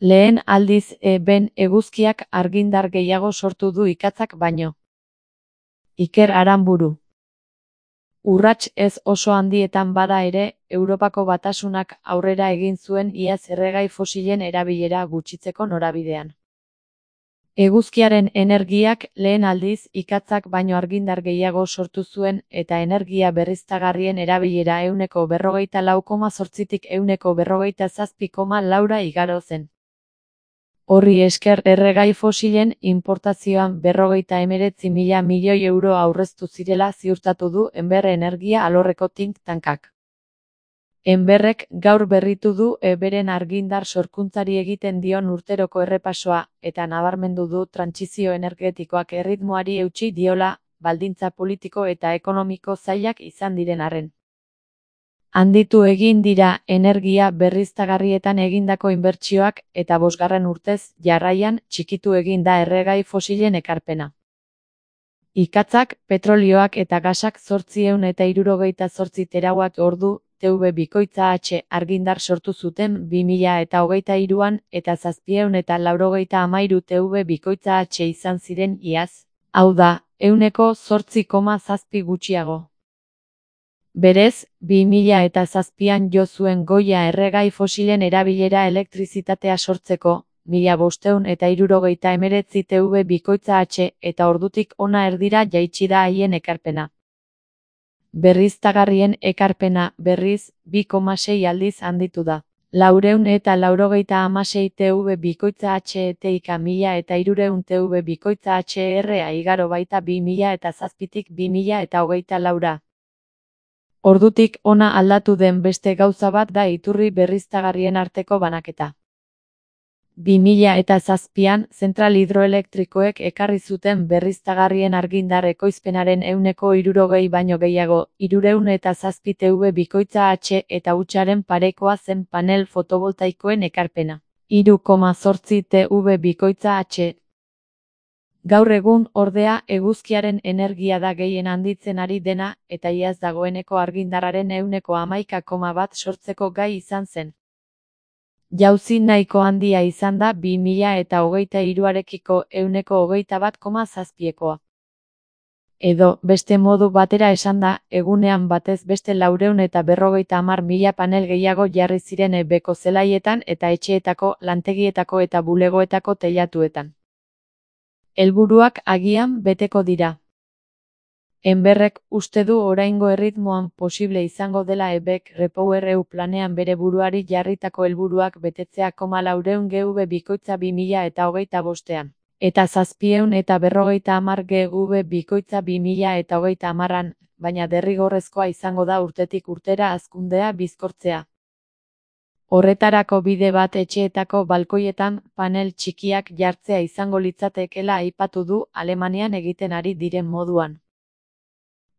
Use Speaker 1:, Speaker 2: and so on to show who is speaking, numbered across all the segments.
Speaker 1: Lehen aldiz ben eguzkiak argindar gehiago sortu du ikatzak baino. Iker Aranburu. Urrats ez oso handietan bada ere, Europako Batasunak aurrera egin zuen iaz erregai fosilen erabilera gutxitzeko norabidean. Eguzkiaren energiak lehen aldiz ikatzak baino argindar gehiago sortu zuen eta energia berriztagarrien erabilera 40,8tik 47,4 igaro zen. Horri esker erregai fosilen inportazioan 59.000 milioi euro aurreztu zirela ziurtatu du Enber Energia alorreko think tankak. Enberrek gaur berritu du beren argindar sorkuntzari egiten dion urteroko errepasoa eta nabarmendu du trantsizio energetikoak erritmoari eutsi diola, baldintza politiko eta ekonomiko zailak izan diren arren. Handitu egin dira energia berriztagarrietan egindako inbertsioak eta 5. urtez jarraian txikitu egin da erregai fosilen ekarpena. Ikatzak, petrolioak eta gasak 868 terawatt ordu TW bikoitza H argindar sortu zuten 2023an eta 793 TW bikoitza H izan ziren iaz, hau da, 8,7 gutxiago. Berez, 2007an jo zuen goia erregai fosilen erabilera elektrizitatea sortzeko, 1569 TW bikoitza H eta ordutik hona erdira jaitsi da haien ekarpena. Berriztagarrien ekarpena, berriz, 2,6 aldiz handitu da. 496 TW bikoitza HETIK 1300 TW bikoitza HRA igaro baita 2007tik 2024ra. Ordutik hona aldatu den beste gauza bat da iturri berriztagarrien arteko banaketa. 2007an zentral hidroelektrikoek ekarri zuten berriztagarrien argindar ekoizpenaren 60% baino gehiago, 307 TW bikoitza H eta hutsaren parekoa zen panel fotovoltaikoen ekarpena, 3,8 TW bikoitza H. Gaur egun, ordea, eguzkiaren energia da gehien handitzen ari dena, eta iaz dagoeneko argindarraren 11,1 sortzeko gai izan zen. Jauzi nahiko handia izan da 2023arekiko 121,7koa. Edo, beste modu batera esanda, egunean batez beste 450.000 panel gehiago jarri ziren beko zelaietan eta etxeetako, lantegietako eta bulegoetako teilatuetan. Helburuak agian beteko dira. Enberrek uste du oraingo erritmoan posible izango dela EBEK REPowerEU planean bere buruari jarritako helburuak betetzea 400 GW bikoitza 2025ean. Eta 750 GW bikoitza 2030an, baina derrigorrezkoa izango da urtetik urtera hazkundea bizkortzea. Horretarako bide bat etxeetako balkoietan panel txikiak jartzea izango litzatekeela aipatu du Alemanian egiten ari diren moduan.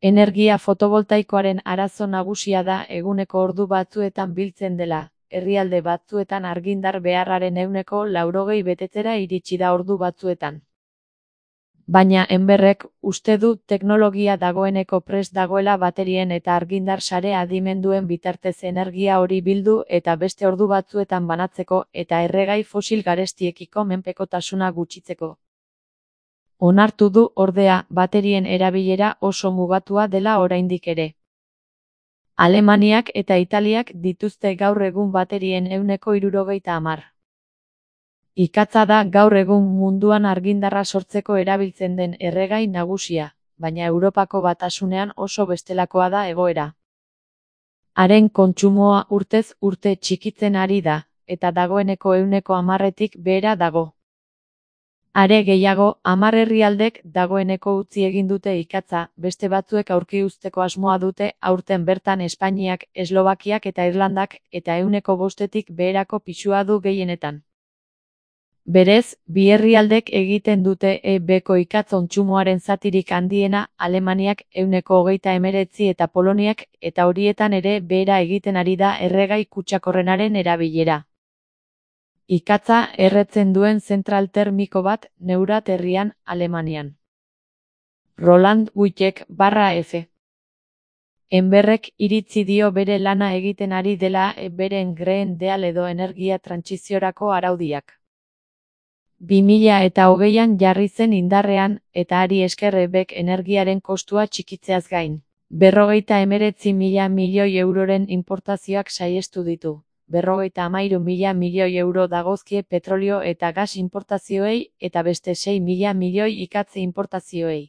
Speaker 1: Energia fotovoltaikoaren arazo nagusia da eguneko ordu batzuetan biltzen dela, herrialde batzuetan argindar beharraren 80% betetzera iritsi da ordu batzuetan. Baina Enberrek uste du teknologia dagoeneko prest dagoela baterien eta argindar sare adimenduen bitartez energia hori bildu eta beste ordu batzuetan banatzeko eta erregai fosil garestiekiko menpekotasuna gutxitzeko. Onartu du, ordea, baterien erabilera oso mugatua dela oraindik ere. Alemaniak eta Italiak dituzte gaur egun baterien 70%. Ikatza da gaur egun munduan argindarra sortzeko erabiltzen den erregai nagusia, baina Europako Batasunean oso bestelakoa da egoera. Haren kontsumoa urtez urte txikitzen ari da, eta dagoeneko 10%tik behera dago. Are gehiago, 10 herrialdek dagoeneko utzi egin dute ikatza, beste batzuek aurki uzteko asmoa dute aurten bertan Espainiak, Eslovakiak eta Irlandak, eta 5%tik beherako pisua du gehienetan. Berez, bi herrialdek egiten dute beko ikatz kontsumoaren zatirik handiena, Alemaniak 29% eta Poloniak, eta horietan ere behera egiten ari da erregai kutsakorrenaren erabilera. Ikatza erretzen duen zentral termiko bat Neurat herrian, Alemanian. Roland Wittek /F. Enberrek iritzi dio bere lana egiten ari dela beren Green Deal edo energia trantsiziorako araudiak. 2020an jarri zen indarrean, eta hari esker EBEk energiaren kostua txikitzeaz gain. 59.000 milioi euroren inportazioak saihestu ditu. 53.000 milioi euro dagozkie petrolio eta gas inportazioei eta beste 6.000 milioi ikatze inportazioei.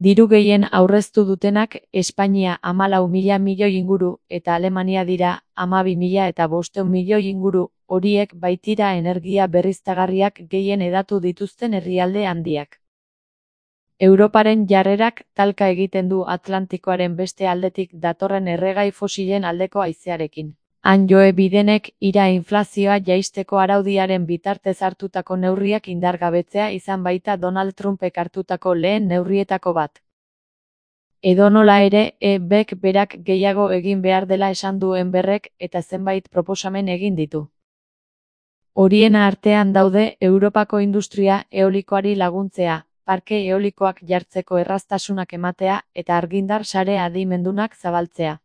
Speaker 1: Diru gehien aurreztu dutenak Espainia 14.000 milioi inguru eta Alemania dira 12.500 milioi inguru, horiek baitira energia berriztagarriak gehien hedatu dituzten herrialde handiak. Europaren jarrerak talka egiten du Atlantikoaren beste aldetik datorren erregai fosilen aldeko haizearekin. Han Joe Bidenek inflazioa jaisteko araudiaren bitartez hartutako neurriak indargabetzea izan baita Donald Trumpek hartutako lehen neurrietako bat. Edonola ere, EBek berak gehiago egin behar dela esan du Enberrek eta zenbait proposamen egin ditu. Horien artean daude Europako industria eolikoari laguntzea, parke eolikoak jartzeko erraztasunak ematea eta argindar sare adimendunak zabaltzea.